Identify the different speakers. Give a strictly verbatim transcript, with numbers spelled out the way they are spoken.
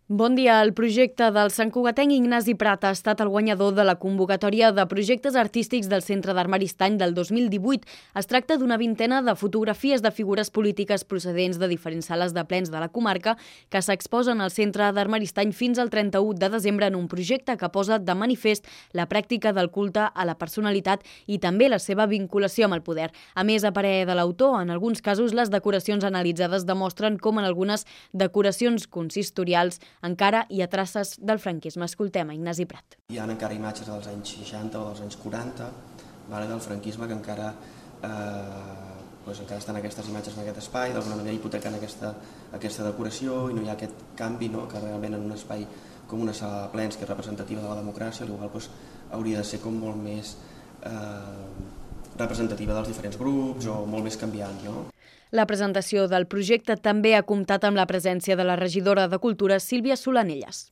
Speaker 1: Bon dia. El projecte del santcugatenc Ignasi Prat ha estat el guanyador de la convocatòria de projectes artístics del Centre d'Art Maristany del dos mil divuit. Es tracta d'una vintena de fotografies de figures polítiques procedents de diferents sales de plens de la comarca que s'exposen al Centre d'Art Maristany fins al trenta-u de desembre en un projecte que posa de manifest la pràctica del culte a la personalitat i també la seva vinculació amb el poder. A més, a parer de l'autor, en alguns casos les decoracions analitzades demostren com en algunes decoracions consistorials encara hi ha traces del franquisme. Escoltem a Ignasi Prat.
Speaker 2: Hi ha encara imatges dels anys seixanta o dels anys quaranta vale, del franquisme que encara, eh, doncs encara estan aquestes imatges en aquest espai, d'alguna manera hipotecant aquesta, aquesta decoració i no hi ha aquest canvi, no? Que realment en un espai com una sala de plens que és representativa de la democràcia, igual doncs, hauria de ser com molt més eh, representativa dels diferents grups o molt més canviant, no?
Speaker 1: La presentació del projecte també ha comptat amb la presència de la regidora de Cultura, Sílvia Solanelles.